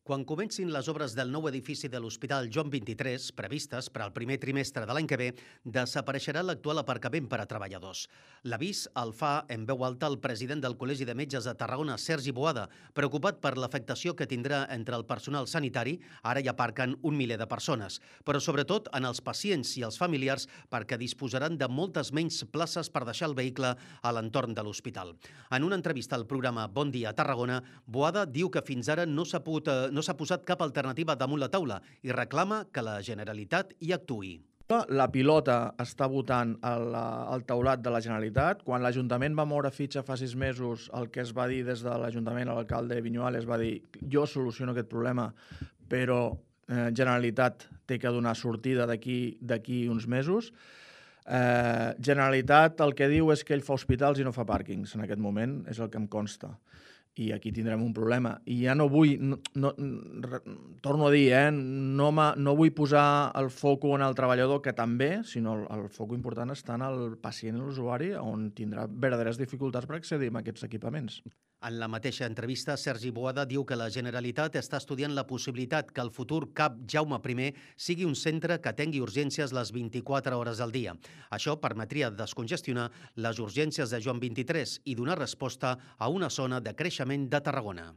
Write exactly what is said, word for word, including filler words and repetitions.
Quan comencin les obres del nou edifici de l'Hospital Joan vint-i-tres, previstes per al primer trimestre de l'any que ve, desapareixerà l'actual aparcament per a treballadors. L'avís el fa en veu alta el president del Col·legi de Metges de Tarragona, Sergi Boada, preocupat per l'afectació que tindrà entre el personal sanitari, ara hi aparquen un miler de persones, però sobretot en els pacients i els familiars perquè disposaran de moltes menys places per deixar el vehicle a l'entorn de l'hospital. En una entrevista al programa Bon Dia Tarragona, Boada diu que fins ara no s'ha pogut, eh, no s'ha posat cap alternativa damunt la taula i reclama que la Generalitat hi actuï. La pilota està votant al, al taulat de la Generalitat. Quan l'Ajuntament va moure fitxa fa sis mesos, el que es va dir des de l'Ajuntament, l'alcalde Viñuales va dir jo soluciono aquest problema, però eh, Generalitat té que donar sortida d'aquí d'aquí uns mesos. Eh, Generalitat el que diu és que ell fa hospitals i no fa pàrquings en aquest moment, és el que em consta. I aquí tindrem un problema. I ja no vull, no, no, torno a dir, eh, no, no vull posar el foco en el treballador, que també, sinó el, el foco important està en el pacient i l'usuari, on tindrà verdaderes dificultats per accedir a aquests equipaments. En la mateixa entrevista, Sergi Boada diu que la Generalitat està estudiant la possibilitat que el futur CAP Jaume primer sigui un centre que atengui urgències les vint-i-quatre hores al dia. Això permetria descongestionar les urgències de Joan vint-i-tres i donar resposta a una zona de creixement de Tarragona.